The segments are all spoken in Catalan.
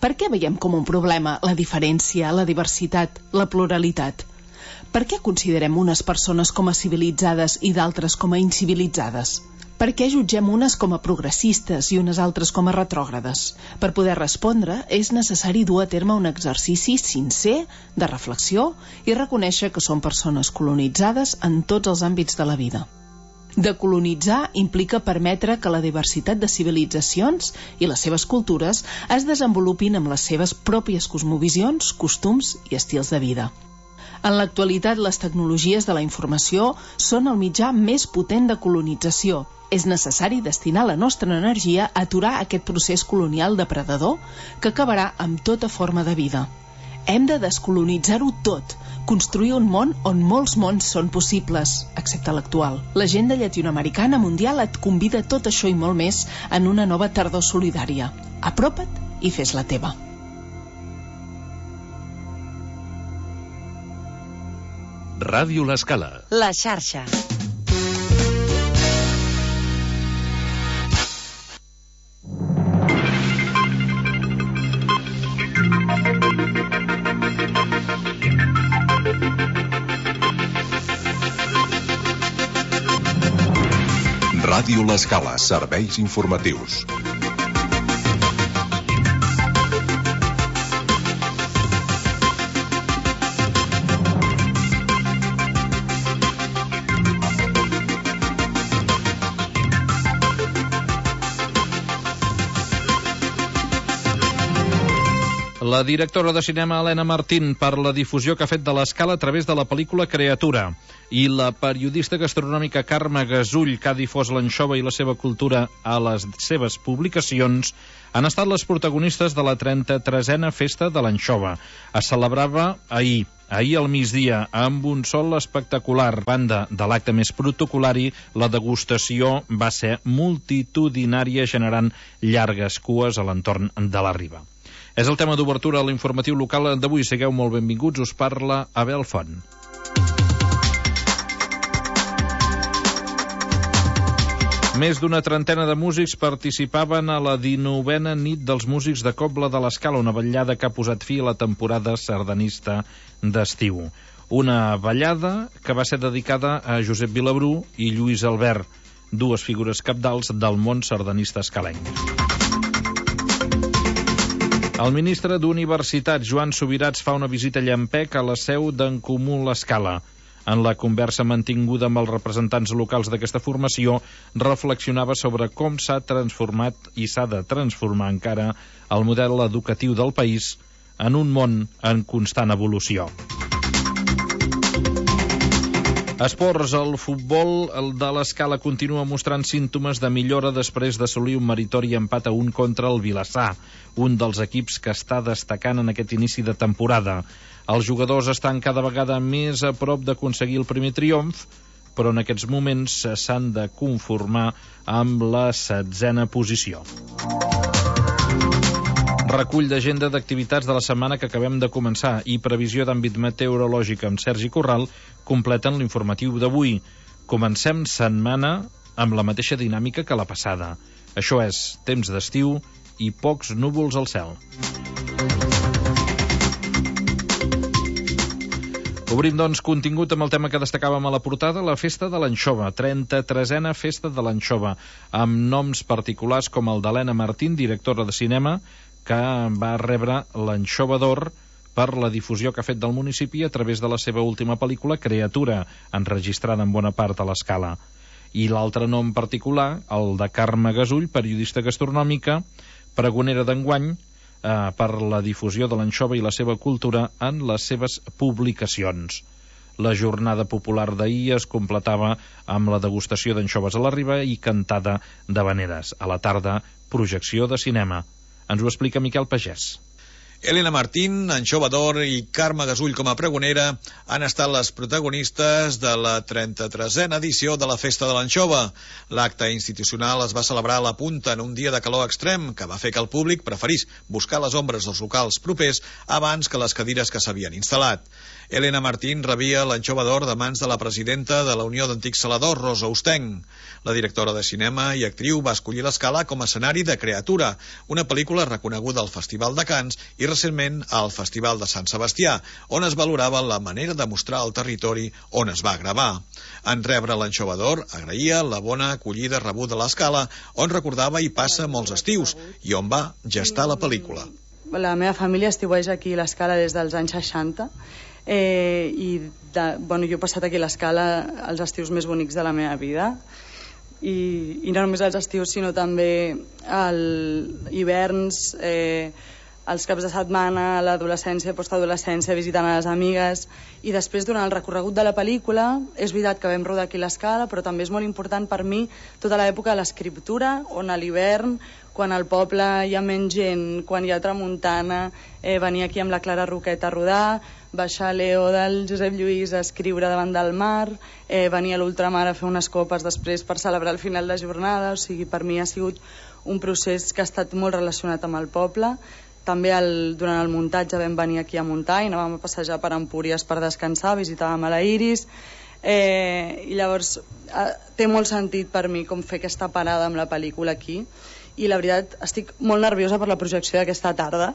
Per què veiem com un problema la diferència, la diversitat, la pluralitat? Per què considerem unes persones com a civilitzades i d'altres com a incivilitzades? Per què jutgem unes com a progressistes i unes altres com a retrògrades? Per poder respondre, és necessari dur a terme un exercici sincer de reflexió i reconèixer que som persones colonitzades en tots els àmbits de la vida. Decolonitzar implica permetre que la diversitat de civilitzacions i les seves cultures es desenvolupin amb les seves pròpies cosmovisions, costums i estils de vida. En l'actualitat, les tecnologies de la informació són el mitjà més potent de colonització. És necessari destinar la nostra energia a aturar aquest procés colonial depredador que acabarà amb tota forma de vida. Hem de descolonitzar-ho tot, construir un món on molts mons són possibles, excepte l'actual. L'agenda llatinoamericana mundial et convida a tot això i molt més en una nova tardor solidària. Apropa't i fes-la teva. Ràdio L'Escala. La xarxa. Ràdio L'Escala, serveis informatius. La directora de cinema Helena Martín per la difusió que ha fet de l'Escala a través de la pel·lícula Creatura i la periodista gastronòmica Carme Gasull, que ha difós l'anxova i la seva cultura a les seves publicacions, han estat les protagonistes de la 33a Festa de l'Anxova. Es celebrava ahir al migdia, amb un sol espectacular. A banda de l'acte més protocolari, la degustació va ser multitudinària, generant llargues cues a l'entorn de la Riba. És el tema d'obertura a l'informatiu local d'avui. Sigueu molt benvinguts, us parla Abel Font. Més d'una trentena de músics participaven a la 19a nit dels músics de Cobla de l'Escala, una vetllada que ha posat fi a la temporada sardanista d'estiu. Una vetllada que va ser dedicada a Josep Vilabrú i Lluís Albert, dues figures cabdals del món sardanista escalenc. El ministre d'Universitats, Joan Subirats, fa una visita a Llampec a la seu d'En Comú l'Escala. En la conversa mantinguda amb els representants locals d'aquesta formació, reflexionava sobre com s'ha transformat i s'ha de transformar encara el model educatiu del país en un món en constant evolució. Esports, el futbol de l'Escala continua mostrant símptomes de millora després d'assolir un meritori empat a 1 contra el Vilassar, un dels equips que està destacant en aquest inici de temporada. Els jugadors estan cada vegada més a prop d'aconseguir el primer triomf, però en aquests moments s'han de conformar amb la 16a posició. Recull d'agenda d'activitats de la setmana que acabem de començar i previsió d'àmbit meteorològic amb Sergi Corral completen l'informatiu d'avui. Comencem setmana amb la mateixa dinàmica que la passada. Això és temps d'estiu i pocs núvols al cel. Obrim, doncs, contingut amb el tema que destacàvem a la portada, la Festa de l'Anxova, 33a Festa de l'Anxova, amb noms particulars com el d'Helena Martín, directora de cinema, que va rebre l'Anxova d'Or per la difusió que ha fet del municipi a través de la seva última pel·lícula, Creatura, enregistrada en bona part a l'Escala. I l'altre nom particular, el de Carme Gasull, periodista gastronòmica, pregonera d'enguany, per la difusió de l'anxova i la seva cultura en les seves publicacions. La jornada popular d'ahir es completava amb la degustació d'anxoves a la Riba i cantada d'havaneres. A la tarda, projecció de cinema. Ens ho explica Miquel Pagès. Elena Martín, Anxova d'Or i Carme Gasull com a pregonera han estat les protagonistes de la 33a edició de la Festa de l'Anxova. L'acte institucional es va celebrar a la Punta en un dia de calor extrem que va fer que el públic preferís buscar les ombres dels locals propers abans que les cadires que s'havien instal·lat. Elena Martín rebia l'Anxova d'Or de mans de la presidenta de la Unió d'Antics Saladors, Rosa Ostenc. La directora de cinema i actriu va escollir l'Escala com a escenari de Creatura, una pel·lícula reconeguda al Festival de Canes i recentment al Festival de Sant Sebastià, on es valorava la manera de mostrar el territori on es va gravar. En rebre l'Anxova d'Or, agraïa la bona acollida rebuda a l'Escala, on recordava i passa molts estius i on va gestar la pel·lícula. La meva família estiueja aquí a l'Escala des dels anys 60 jo he passat aquí a l'Escala els estius més bonics de la meva vida i no només els estius sinó també els hiverns, els caps de setmana, l'adolescència, postadolescència, visitant a les amigues i després durant el recorregut de la pel·lícula és veritat que vam rodar aquí a l'Escala però també és molt important per mi tota l'època de l'escriptura on a l'hivern quan al poble hi ha menys gent, quan hi ha tramuntana, venir aquí amb la Clara Roquet a rodar, baixar a Leo del Josep Lluís a escriure davant del mar, venir a l'ultramar a fer unes copes després per celebrar el final de jornada, o sigui, per mi ha sigut un procés que ha estat molt relacionat amb el poble. També durant el muntatge vam venir aquí a muntar i anàvem a passejar per Empúries per descansar, visitàvem a la Iris, i llavors té molt sentit per mi com fer aquesta parada amb la pel·lícula aquí i la veritat estic molt nerviosa per la projecció d'aquesta tarda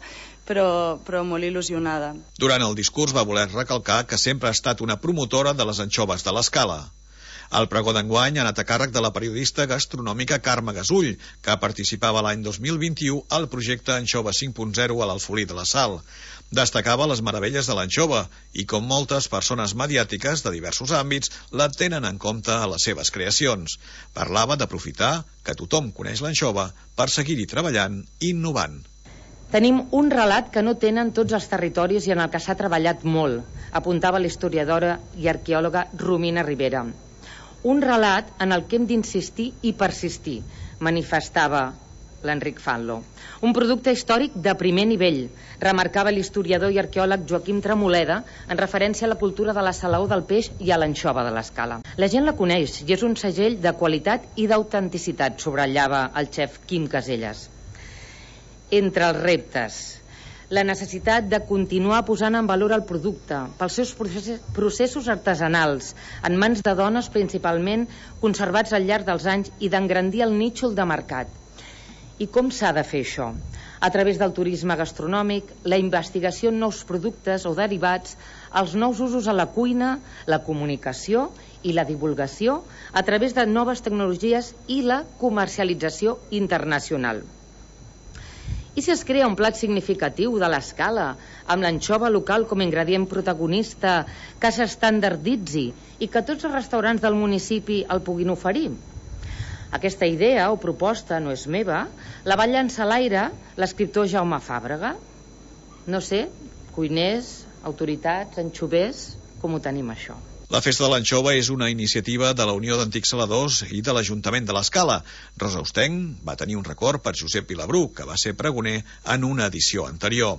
però molt il·lusionada. Durant el discurs va voler recalcar que sempre ha estat una promotora de les anxoves de l'Escala. El pregó d'enguany ha anat a càrrec de la periodista gastronòmica Carme Gasull, que participava l'any 2021 al projecte Anxova 5.0 a l'Alfolí de la Sal. Destacava les meravelles de l'anxova i, com moltes persones mediàtiques de diversos àmbits, la tenen en compte a les seves creacions. Parlava d'aprofitar que tothom coneix l'anxova per seguir-hi treballant i innovant. Tenim un relat que no tenen tots els territoris i en el que s'ha treballat molt, apuntava l'historiadora i arqueòloga Romina Rivera. Un relat en el que hem d'insistir i persistir, manifestava l'Enric Fanlo. Un producte històric de primer nivell, remarcava l'historiador i arqueòleg Joaquim Tremoleda en referència a la cultura de la salaó del peix i a l'anxova de l'Escala. La gent la coneix i és un segell de qualitat i d'autenticitat, subratllava el xef Quim Caselles. Entre els reptes, la necessitat de continuar posant en valor el producte pels seus processos artesanals en mans de dones principalment conservats al llarg dels anys i d'engrandir el nítxol de mercat. I com s'ha de fer això? A través del turisme gastronòmic, la investigació en nous productes o derivats, els nous usos a la cuina, la comunicació i la divulgació a través de noves tecnologies i la comercialització internacional. I si es crea un plat significatiu de l'Escala, amb l'anxova local com a ingredient protagonista, que s'estandarditzi i que tots els restaurants del municipi el puguin oferir? Aquesta idea o proposta no és meva, la va llançar a l'aire l'escriptor Jaume Fàbrega. No sé, cuiners, autoritats, anxovers, com ho tenim això? La Festa de l'Anxova és una iniciativa de la Unió d'Antics Saladors i de l'Ajuntament de l'Escala. Rosa Ostenc va tenir un record per Josep Vilabrú, que va ser pregoner en una edició anterior.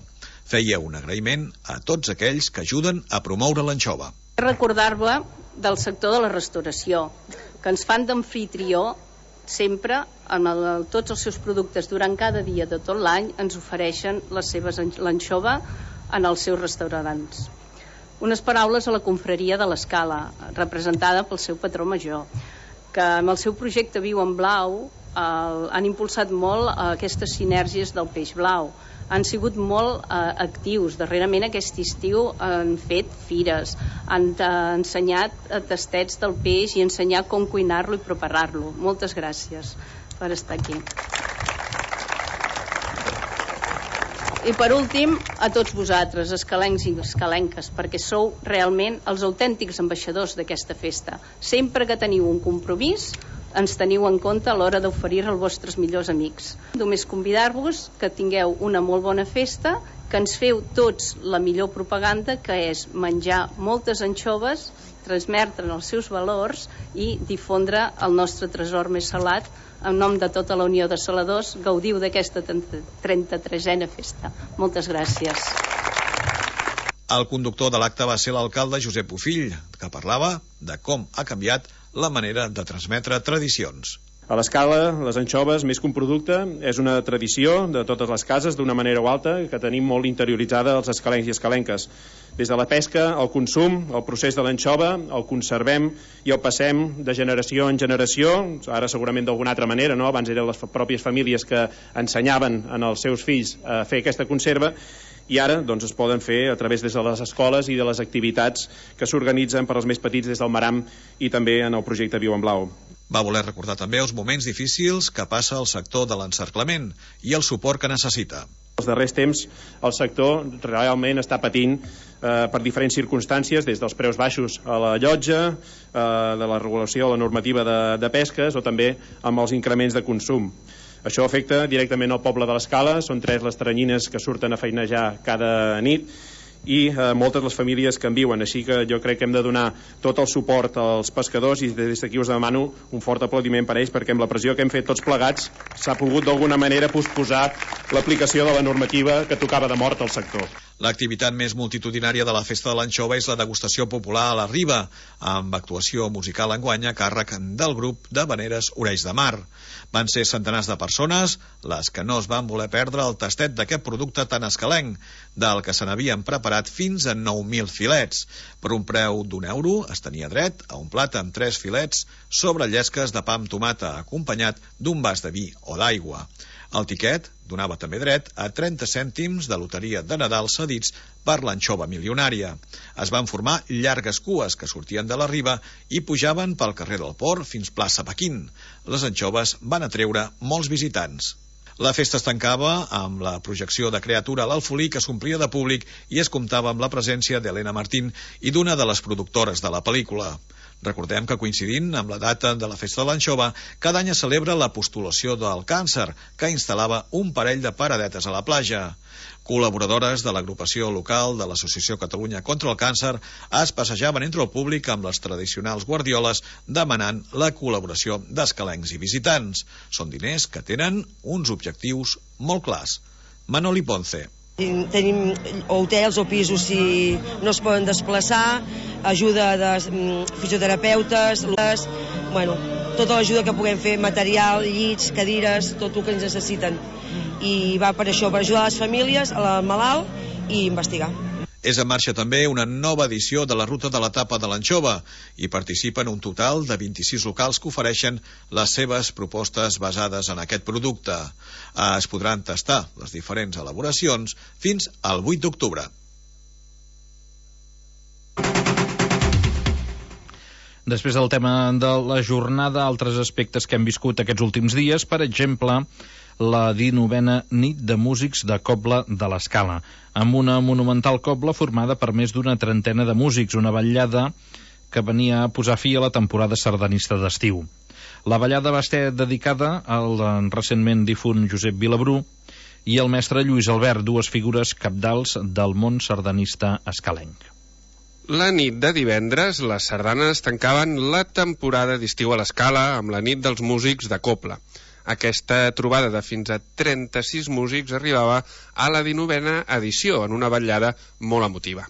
Feia un agraïment a tots aquells que ajuden a promoure l'anxova. Recordar-vos del sector de la restauració, que ens fan d'amfitrió sempre, amb tots els seus productes durant cada dia de tot l'any, ens ofereixen l'anxova en els seus restaurants. Unes paraules a la confraria de l'Escala, representada pel seu patró major, que amb el seu projecte Viu en Blau han impulsat molt aquestes sinergies del peix blau. Han sigut molt actius. Darrerament aquest estiu han fet fires, han ensenyat tastets del peix i ensenyat com cuinar-lo i preparar-lo. Moltes gràcies per estar aquí. I per últim, a tots vosaltres, escalencs i escalenques, perquè sou realment els autèntics ambaixadors d'aquesta festa. Sempre que teniu un compromís, ens teniu en compte a l'hora d'oferir als vostres millors amics. Només convidar-vos que tingueu una molt bona festa que ens feu tots la millor propaganda, que és menjar moltes anxoves, transmetre'n els seus valors i difondre el nostre tresor més salat. En nom de tota la Unió de Saladors, gaudiu d'aquesta 33a festa. Moltes gràcies. El conductor de l'acte va ser l'alcalde Josep Bofill, que parlava de com ha canviat la manera de transmetre tradicions. A l'Escala, les anxoves, més que un producte, és una tradició de totes les cases, d'una manera o altra, que tenim molt interioritzada els escalencs i escalenques. Des de la pesca, el consum, el procés de l'anxova, el conservem i el passem de generació en generació, ara segurament d'alguna altra manera, no? Abans eren les pròpies famílies que ensenyaven als seus fills a fer aquesta conserva, i ara doncs, es poden fer a través des de les escoles i de les activitats que s'organitzen per als més petits des del Maram i també en el projecte Viu en Blau. Va voler recordar també els moments difícils que passa el sector de l'encerclament i el suport que necessita. Els darrers temps el sector realment està patint per diferents circumstàncies, des dels preus baixos a la llotja, de la regulació, la normativa de pesques o també amb els increments de consum. Això afecta directament al poble de l'Escala, són 3 les teranyines que surten a feinejar cada nit i moltes les famílies que en viuen, així que jo crec que hem de donar tot el suport als pescadors i des d'aquí us demano un fort aplaudiment per ells, perquè amb la pressió que hem fet tots plegats s'ha pogut d'alguna manera posposar l'aplicació de la normativa que tocava de mort al sector. L'activitat més multitudinària de la Festa de l'Anxova és la degustació popular a la Riba, amb actuació musical enguany a càrrec del grup de Veneres Orells de Mar. Van ser centenars de persones les que no es van voler perdre el tastet d'aquest producte tan escalenc, del que se n'havien preparat fins a 9.000 filets. Per un preu d'€1 es tenia dret a un plat amb 3 filets sobre llesques de pa amb tomata, acompanyat d'un vas de vi o d'aigua. El tiquet donava també dret a 30 cèntims de loteria de Nadal cedits per l'anxova milionària. Es van formar llargues cues que sortien de la Riba i pujaven pel carrer del Port fins plaça Pequín. Les anxoves van atreure molts visitants. La festa es tancava amb la projecció de Creatura a l'Alfolí, que s'omplia de públic i es comptava amb la presència d'Helena Martín i d'una de les productores de la pel·lícula. Recordem que coincidint amb la data de la Festa de l'Anxova, cada any es celebra la postulació del càncer, que instal·lava un parell de paradetes a la platja. Col·laboradores de l'agrupació local de l'Associació Catalunya contra el Càncer es passejaven entre el públic amb les tradicionals guardioles demanant la col·laboració d'escalencs i visitants. Són diners que tenen uns objectius molt clars. Manoli Ponce. Tenim hotels o pisos si no es poden desplaçar, ajuda de fisioterapeutes, tota l'ajuda que puguem fer, material, llits, cadires, tot el que ens necessiten. I va per això, per ajudar les famílies, al malalt i investigar. És en marxa també una nova edició de la Ruta de la Tapa de l'Anxova i participen un total de 26 locals que ofereixen les seves propostes basades en aquest producte. Es podran tastar les diferents elaboracions fins al 8 d'octubre. Després del tema de la jornada, altres aspectes que hem viscut aquests últims dies, per exemple, la 19a nit de músics de Cobla de l'Escala, amb una monumental cobla formada per més d'una trentena de músics, una ballada que venia a posar fi a la temporada sardanista d'estiu. La ballada va estar dedicada al recentment difunt Josep Vilabrú i al mestre Lluís Albert, dues figures cabdals del món sardanista escalenc. La nit de divendres, les sardanes tancaven la temporada d'estiu a l'Escala amb la nit dels músics de Cobla. Aquesta trobada de fins a 36 músics arribava a la 19a edició, en una vetllada molt emotiva.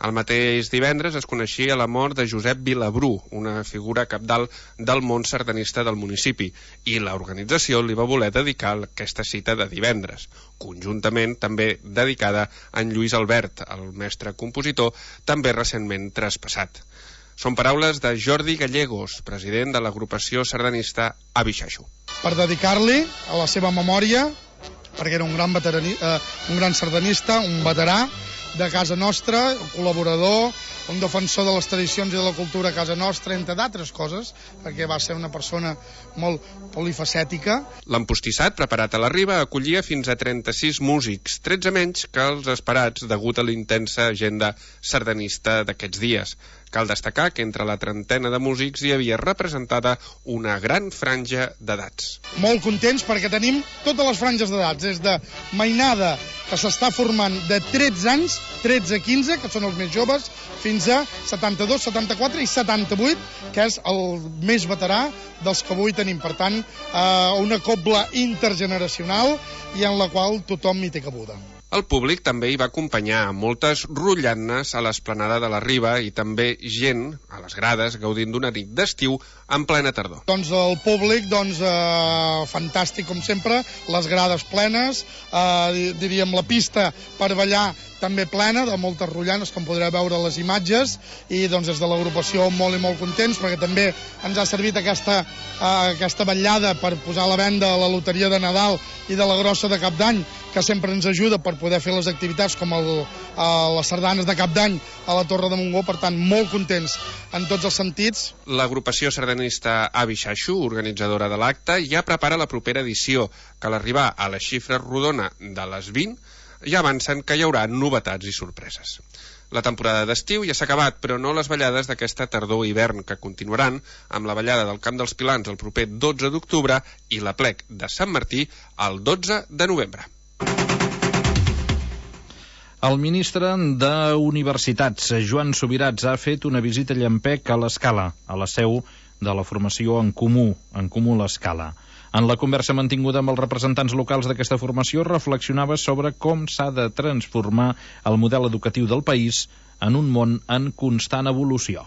El mateix divendres es coneixia la mort de Josep Vilabrú, una figura cabdal del món sardanista del municipi, i l'organització li va voler dedicar aquesta cita de divendres, conjuntament també dedicada a en Lluís Albert, el mestre compositor, també recentment traspassat. Són paraules de Jordi Gallegos, president de l'agrupació sardanista Abixaixo. Per dedicar-li a la seva memòria, perquè era un gran sardanista, un veterà de casa nostra, un col·laborador, un defensor de les tradicions i de la cultura a casa nostra, entre d'altres coses, perquè va ser una persona molt polifacètica. L'empostissat, preparat a la Riba, acollia fins a 36 músics, 13 menys que els esperats degut a l'intensa agenda sardanista d'aquests dies. Cal destacar que entre la trentena de músics hi havia representada una gran franja d'edats. Molt contents perquè tenim totes les franges d'edats, des de mainada, que s'està formant de 13 anys, 13 a 15, que són els més joves, fins a 72, 74 i 78, que és el més veterà dels que avui tenim. Per tant, una cobla intergeneracional i en la qual tothom hi té cabuda. El públic també hi va acompanyar amb moltes rotllanes a l'esplanada de la Riba i també gent a les grades gaudint d'una nit d'estiu en plena tardor. Doncs el públic, fantàstic com sempre, les grades plenes, diríem la pista per ballar també plena, de moltes rotllanes, com podreu veure les imatges, i doncs des de l'agrupació molt i molt contents, perquè també ens ha servit aquesta vetllada per posar a la venda la loteria de Nadal i de la grossa de Cap d'Any, que sempre ens ajuda per poder fer les activitats com les sardanes de Cap d'Any a la Torre de Montgó. Per tant, molt contents en tots els sentits. L'agrupació sardanista Avi Xaixo, organitzadora de l'acte, ja prepara la propera edició, que a l'arribar a la xifra rodona de les 20 ja avancen que hi haurà novetats i sorpreses. La temporada d'estiu ja s'ha acabat, però no les ballades d'aquesta tardor-hivern, que continuaran amb la ballada del Camp dels Pilans el proper 12 d'octubre i l'Aplec de Sant Martí el 12 de novembre. El ministre d'Universitats, Joan Subirats, ha fet una visita a Llampec a l'Escala, a la seu de la formació En Comú l'Escala. En la conversa mantinguda amb els representants locals d'aquesta formació, reflexionava sobre com s'ha de transformar el model educatiu del país en un món en constant evolució.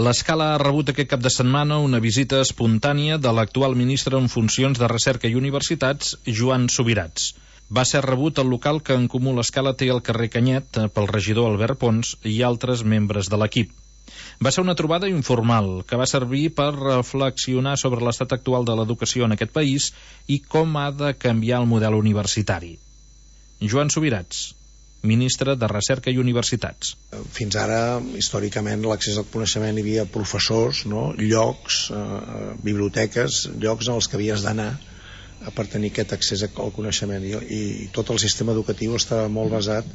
L'Escala ha rebut aquest cap de setmana una visita espontània de l'actual ministre en funcions de Recerca i Universitats, Joan Subirats. Va ser rebut al local que En Comú l'Escala té al carrer Canyet pel regidor Albert Pons i altres membres de l'equip. Va ser una trobada informal que va servir per reflexionar sobre l'estat actual de l'educació en aquest país i com ha de canviar el model universitari. Joan Subirats, ministre de Recerca i Universitats. Fins ara, històricament, l'accés al coneixement hi havia professors, llocs, biblioteques, llocs en els que havies d'anar per tenir aquest accés al coneixement. I tot el sistema educatiu estava molt basat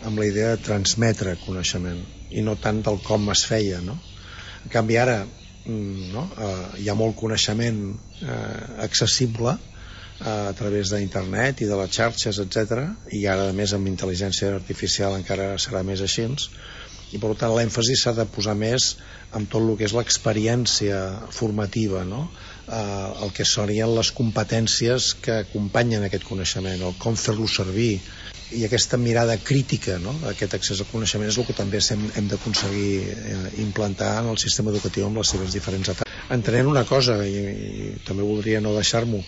amb la idea de transmetre coneixement i no tant del com es feia, no? En canvi ara hi ha molt coneixement accessible a través d'internet i de les xarxes, etc. I ara, a més, amb intel·ligència artificial encara serà més així, i per tant l'èmfasi s'ha de posar més en tot el que és l'experiència formativa, el que serien les competències que acompanyen aquest coneixement, el com fer-lo servir, i aquesta mirada crítica, aquest accés al coneixement és el que també hem d'aconseguir implantar en el sistema educatiu amb les seves diferents etapes. Entenent una cosa, i també voldria no deixar-m'ho,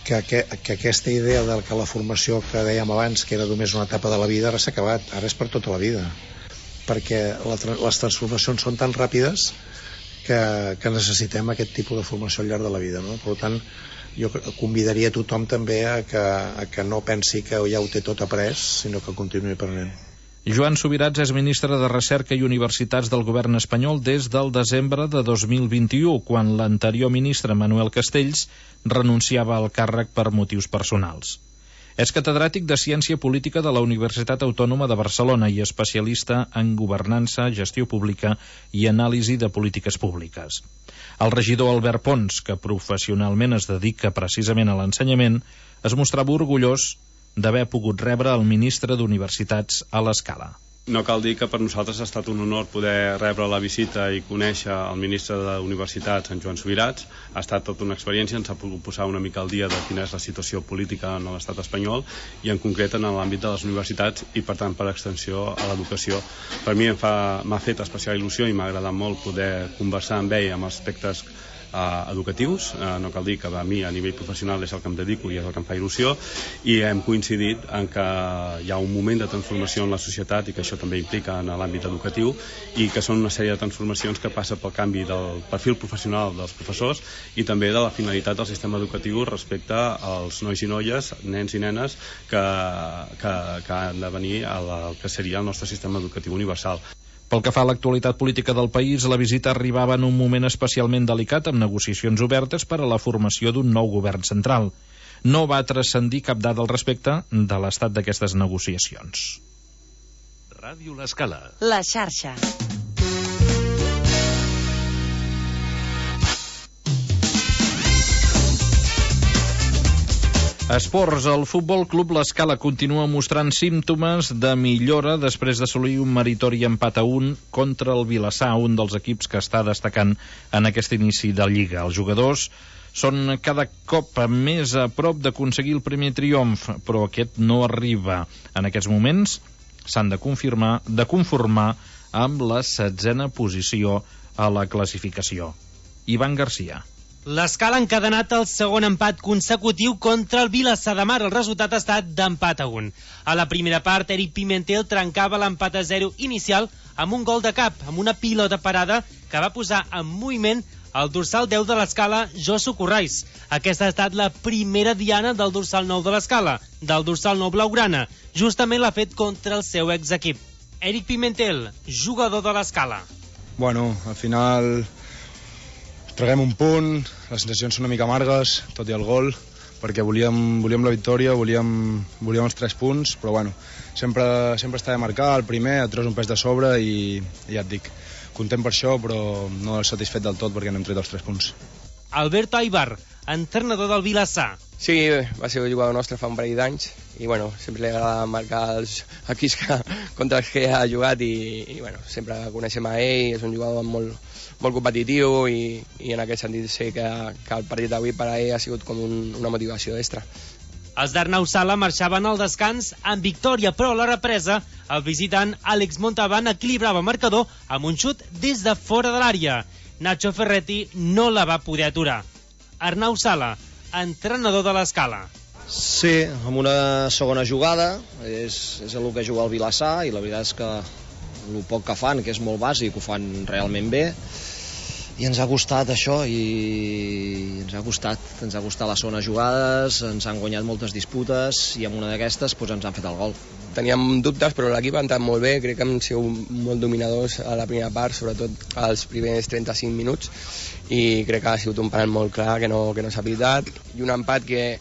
que aquesta idea de que la formació que dèiem abans, que era només una etapa de la vida, ara s'ha acabat, ara és per tota la vida, perquè les transformacions són tan ràpides que necessitem aquest tipus de formació al llarg de la vida, Per tant, jo convidaria a tothom també a que no pensi que ja ho té tot après, sinó que continuï aprenent. Joan Subirats és ministre de Recerca i Universitats del govern espanyol des del desembre de 2021, quan l'anterior ministre Manuel Castells renunciava al càrrec per motius personals. És catedràtic de Ciència Política de la Universitat Autònoma de Barcelona i especialista en governança, gestió pública i anàlisi de polítiques públiques. El regidor Albert Pons, que professionalment es dedica precisament a l'ensenyament, es mostrava orgullós d'haver pogut rebre el ministre d'Universitats a l'Escala. No cal dir que per nosaltres ha estat un honor poder rebre la visita i conèixer el ministre d'Universitats, en Joan Subirats. Ha estat tota una experiència, ens ha pogut posar una mica al dia de quina és la situació política en l'estat espanyol i en concret en l'àmbit de les universitats i per tant per extensió a l'educació. Per mi m'ha fet especial il·lusió i m'ha agradat molt poder conversar amb ell amb aspectes educatius. No cal dir que a mi a nivell professional és el que em dedico i és el que em fa il·lusió, i hem coincidit en que hi ha un moment de transformació en la societat i que això també implica en l'àmbit educatiu i que són una sèrie de transformacions que passa pel canvi del perfil professional dels professors i també de la finalitat del sistema educatiu respecte als nois i noies, nens i nenes que han de venir al que seria el nostre sistema educatiu universal. Pel que fa a l'actualitat política del país, la visita arribava en un moment especialment delicat amb negociacions obertes per a la formació d'un nou govern central. No va transcendir cap dada al respecte de l'estat d'aquestes negociacions. Ràdio L'Escala. La xarxa. Esports. El Futbol Club L'Escala continua mostrant símptomes de millora després d'assolir un meritori empat a 1 contra el Vilassar, un dels equips que està destacant en aquest inici de Lliga. Els jugadors són cada cop més a prop d'aconseguir el primer triomf, però aquest no arriba. En aquests moments s'han de conformar amb la 16a posició a la classificació. Ivan Garcia. L'Escala ha encadenat el segon empat consecutiu contra el Vilassar de Mar. El resultat ha estat d'empat a 1. A la primera part, Eric Pimentel trencava l'empat a 0 inicial amb un gol de cap, amb una pilota parada que va posar en moviment el dorsal 10 de l'Escala, Josu Corrais. Aquesta ha estat la primera diana del dorsal 9 de l'Escala, del dorsal 9 blaugrana. Justament l'ha fet contra el seu exequip. Eric Pimentel, jugador de l'Escala. Bueno, al final traguem un punt, les sensacions són una mica amargues, tot i el gol, perquè volíem la victòria, volíem els 3 punts, però bueno, sempre està de marcar, el primer et treus un pes de sobre i ja et dic, content per això, però no satisfet del tot perquè n'hem tret els 3 punts. Alberto Aibar, entrenador del Vilassar. Sí, va ser un jugador nostre fa un parell d'anys i bueno, sempre li agrada marcar els equips contra els que ha jugat i bueno, sempre coneixem a ell, és un jugador molt competitiu i en aquest sentit sé que el partit d'avui per a ell ha sigut com una motivació extra. Els d'Arnau Sala marxaven al descans amb victòria, però a la represa el visitant Àlex Montalbán equilibrava el marcador amb un xut des de fora de l'àrea. Nacho Ferretti no la va poder aturar. Arnau Sala, entrenador de l'Escala. Sí, amb una segona jugada, és el que juga el Vilassar i la veritat és que el poc que fan, que és molt bàsic, ho fan realment bé i ens ha costat això i ens ha costat les segones jugades, ens han guanyat moltes disputes i amb una d'aquestes ens han fet el gol. Teníem dubtes, però l'equip ha entrat molt bé, crec que hem sigut molt dominadors a la primera part, sobretot als primers 35 minuts, i crec que ha sigut un penal molt clar que no s'ha pitat, i un empat que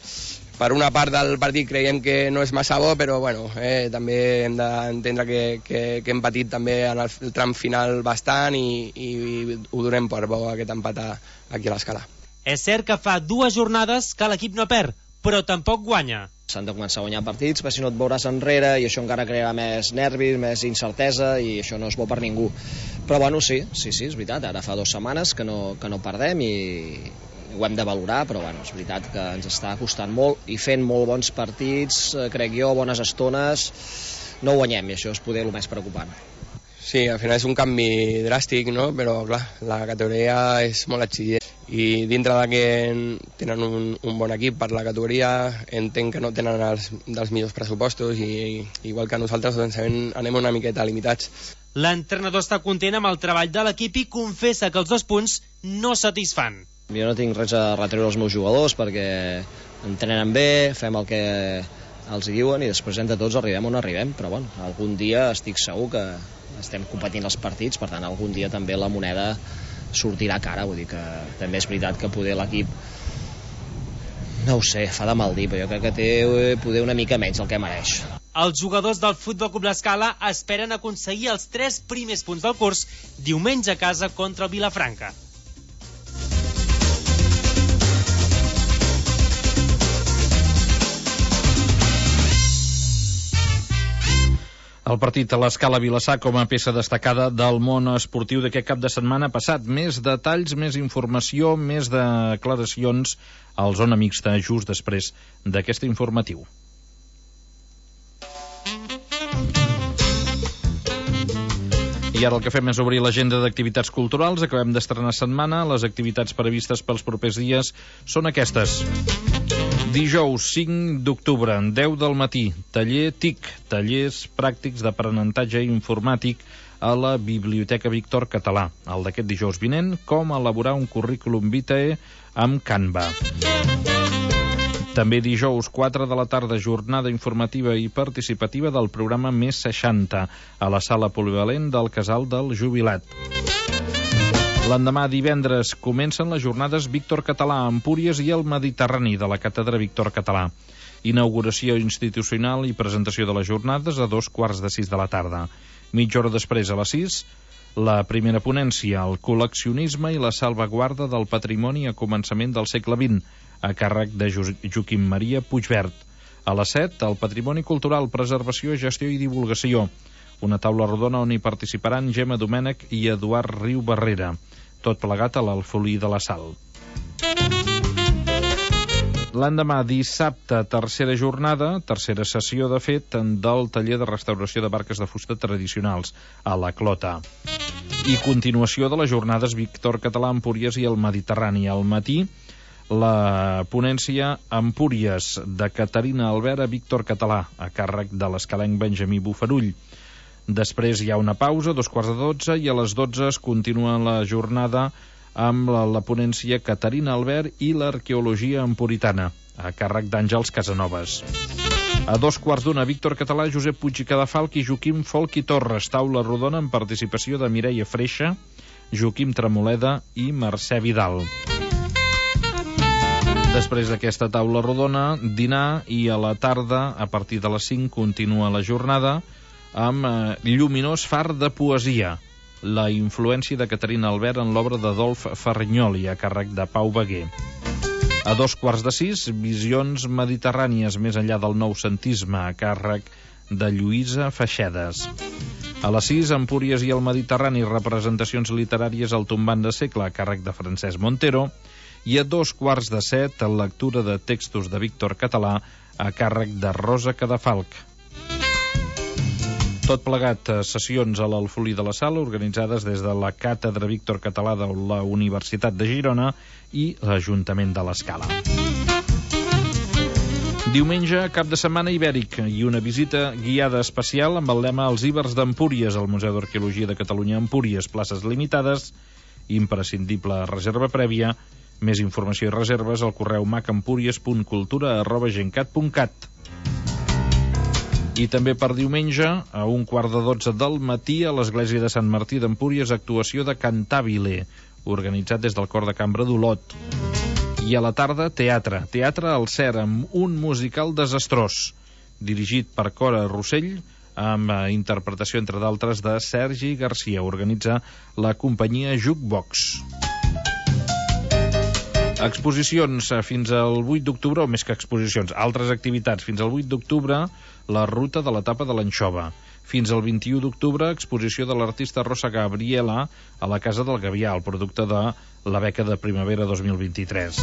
per una part del partit creiem que no és massa bo, però bueno, també hem d'entendre que hem patit també en el tram final bastant i ho donem per bo aquest empat aquí a l'Escala. És cert que fa 2 jornades que l'equip no perd, però tampoc guanya. S'han de començar a guanyar partits, perquè si no et veuràs enrere i això encara crearà més nervis, més incertesa i això no és bo per ningú. Però bueno, sí, és veritat, ara fa 2 setmanes que no perdem i ho hem de valorar, però bueno, és veritat que ens està costant molt i fent molt bons partits, crec jo, bones estones, no guanyem i això és poder el més preocupant. Sí, al final és un canvi dràstic, no? Però clar, la categoria és molt exigent i dintre de que tenen un bon equip per la categoria, entenc que no tenen dels millors pressupostos i igual que nosaltres doncs, anem una miqueta limitats. L'entrenador està content amb el treball de l'equip i confessa que els 2 punts no satisfan. Jo no tinc res a retreure als meus jugadors perquè entrenen bé, fem el que els diuen i després entre tots arribem on arribem, però bueno, algun dia estic segur que estem competint els partits, per tant algun dia també la moneda sortirà cara, vull dir que també és veritat que poder l'equip no ho sé, fa de mal dir, però jo crec que té poder una mica menys el que mereix. Els jugadors del Futbol Club L'Escala esperen aconseguir els 3 primers punts del curs diumenge a casa contra el Vilafranca. El partit a l'Escala Vilassar com a peça destacada del món esportiu d'aquest cap de setmana passat. Més detalls, més informació, més declaracions al Zona Mixta just després d'aquest informatiu. I ara el que fem és obrir l'agenda d'activitats culturals. Acabem d'estrenar setmana. Les activitats previstes pels propers dies són aquestes. Dijous 5 d'octubre, 10 del matí, taller TIC, tallers pràctics d'aprenentatge informàtic a la Biblioteca Víctor Català. El d'aquest dijous vinent, com elaborar un currículum vitae amb Canva. També dijous 4 de la tarda, jornada informativa i participativa del programa Més 60 a la sala polivalent del Casal del Jubilat. L'endemà, divendres, comencen les jornades Víctor Català a Empúries i el Mediterrani de la Càtedra Víctor Català. Inauguració institucional i presentació de les jornades a 5:45 de la tarda. Mitja hora després, a les 6, La primera ponència, el col·leccionisme i la salvaguarda del patrimoni a començament del segle XX, a càrrec de Joaquim Maria Puigvert. A les 7, el patrimoni cultural, preservació, gestió i divulgació. Una taula rodona on hi participaran Gemma Domènech i Eduard Riu Barrera. Tot plegat a l'Alfolí de la Sal. L'endemà, dissabte, tercera jornada, tercera sessió, de fet, del taller de restauració de barques de fusta tradicionals, a la Clota. I continuació de les jornades Víctor Català, Empúries i el Mediterrani. Al matí, la ponència Empúries, de Caterina Albert a Víctor Català, a càrrec de l'escalenc Benjamí Bufarull. Després hi ha una pausa, 11:45, i a les 12 es continua la jornada amb la ponència Caterina Albert i l'arqueologia empuritana, a càrrec d'Àngels Casanovas. A 2:15, Víctor Català, Josep Puig i Cadafalch i Joaquim Folch i Torres, taula rodona amb participació de Mireia Freixa, Joaquim Tremoleda i Mercè Vidal. Després d'aquesta taula rodona, dinar, i a la tarda, a partir de les 5, continua la jornada amb lluminós far de poesia, la influència de Caterina Albert en l'obra d'Adolf Ferrinyoli, a càrrec de Pau Beguer. A 5:45, visions mediterrànies més enllà del noucentisme, a càrrec de Lluïsa Feixedes. A les 6, Empúries i el Mediterrani, representacions literàries al tombant de segle, a càrrec de Francesc Montero. I a 6:45, lectura de textos de Víctor Català, a càrrec de Rosa Cadafalch. Tot plegat, sessions a l'Alfolí de la Sal, organitzades des de la Càtedra Víctor Català de la Universitat de Girona i l'Ajuntament de l'Escala. Diumenge, cap de setmana ibèric, i una visita guiada especial amb el lema Els Ibers d'Empúries, al Museu d'Arqueologia de Catalunya Empúries, places limitades, imprescindible reserva prèvia. Més informació i reserves al correu macempúries.cultura@gencat.cat. I també per diumenge, a 11:15 del matí, a l'Església de Sant Martí d'Empúries, actuació de Cantabile, organitzat des del Cor de Cambra d'Olot. I a la tarda, teatre al CER, amb un musical desastrós, dirigit per Cora Rossell, amb interpretació, entre d'altres, de Sergi Garcia. Organitza la companyia Jukebox. Exposicions fins al 8 d'octubre, o més que exposicions, altres activitats. Fins al 8 d'octubre, la ruta de l'etapa de l'Anxova. Fins al 21 d'octubre, exposició de l'artista Rosa Gabriela a la Casa del Gavià, el producte de la beca de primavera 2023.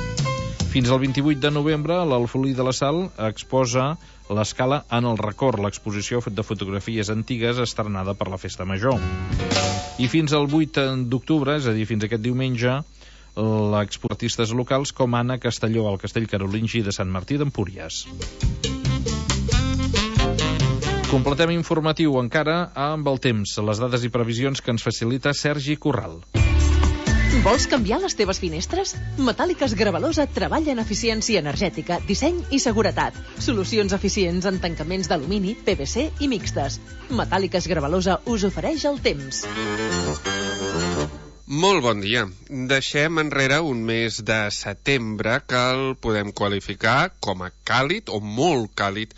Fins al 28 de novembre, l'Alfolí de la Sal exposa l'Escala en el record, l'exposició de fotografies antigues estrenada per la Festa Major. I fins al 8 d'octubre, és a dir, fins aquest diumenge, l'expo artistes locals com Anna Castelló al Castell Carolingi de Sant Martí d'Empúries. Completem informatiu encara amb el temps, les dades i previsions que ens facilita Sergi Corral. Vols canviar les teves finestres? Metàl·liques Gravalosa treballa en eficiència energètica, disseny i seguretat. Solucions eficients en tancaments d'alumini, PVC i mixtes. Metàl·liques Gravalosa us ofereix el temps. Molt bon dia. Deixem enrere un mes de setembre que el podem qualificar com a càlid o molt càlid,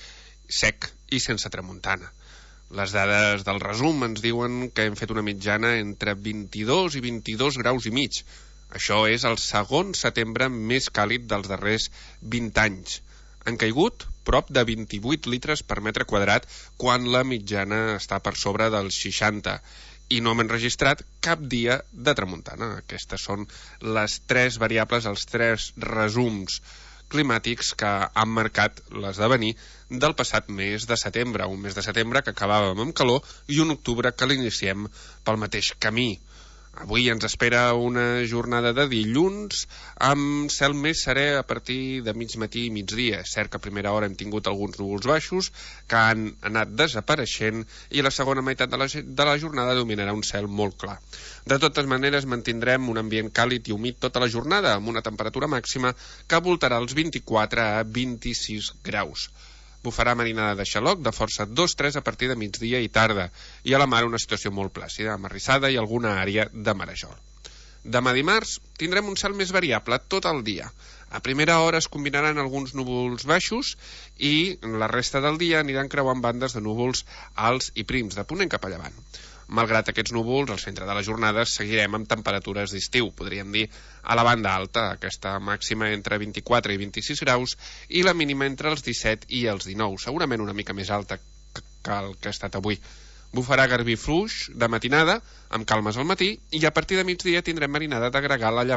sec i sense tramuntana. Les dades del resum ens diuen que hem fet una mitjana entre 22 i 22 graus i mig. Això és el segon setembre més càlid dels darrers 20 anys. Han caigut prop de 28 litres per metre quadrat quan la mitjana està per sobre dels 60. I no hem enregistrat cap dia de tramuntana. Aquestes són les 3 variables, els 3 resums climàtics que han marcat l'esdevenir del passat mes de setembre, un mes de setembre que acabàvem amb calor i un octubre que l'iniciem pel mateix camí. Avui ens espera una jornada de dilluns amb cel més serè a partir de mig matí i migdia. És cert que a primera hora hem tingut alguns núvols baixos que han anat desapareixent i la segona meitat de la jornada dominarà un cel molt clar. De totes maneres, mantindrem un ambient càlid i humit tota la jornada amb una temperatura màxima que voltarà els 24 a 26 graus. Bufarà marinada de xaloc de força 2-3 a partir de migdia i tarda, i a la mar una situació molt plàcida, amb arrissada i alguna àrea de marejol. Demà dimarts tindrem un cel més variable tot el dia. A primera hora es combinaran alguns núvols baixos i la resta del dia aniran creuant bandes de núvols alts i prims, de ponent cap a llevant. Malgrat aquests núvols, al centre de la jornada seguirem amb temperatures d'estiu, podríem dir a la banda alta, aquesta màxima entre 24 i 26 graus i la mínima entre els 17 i els 19, segurament una mica més alta que el que ha estat avui. Bufarà garbí fluix de matinada, amb calmes al matí, i a partir de migdia tindrem marinada de gregal a llevant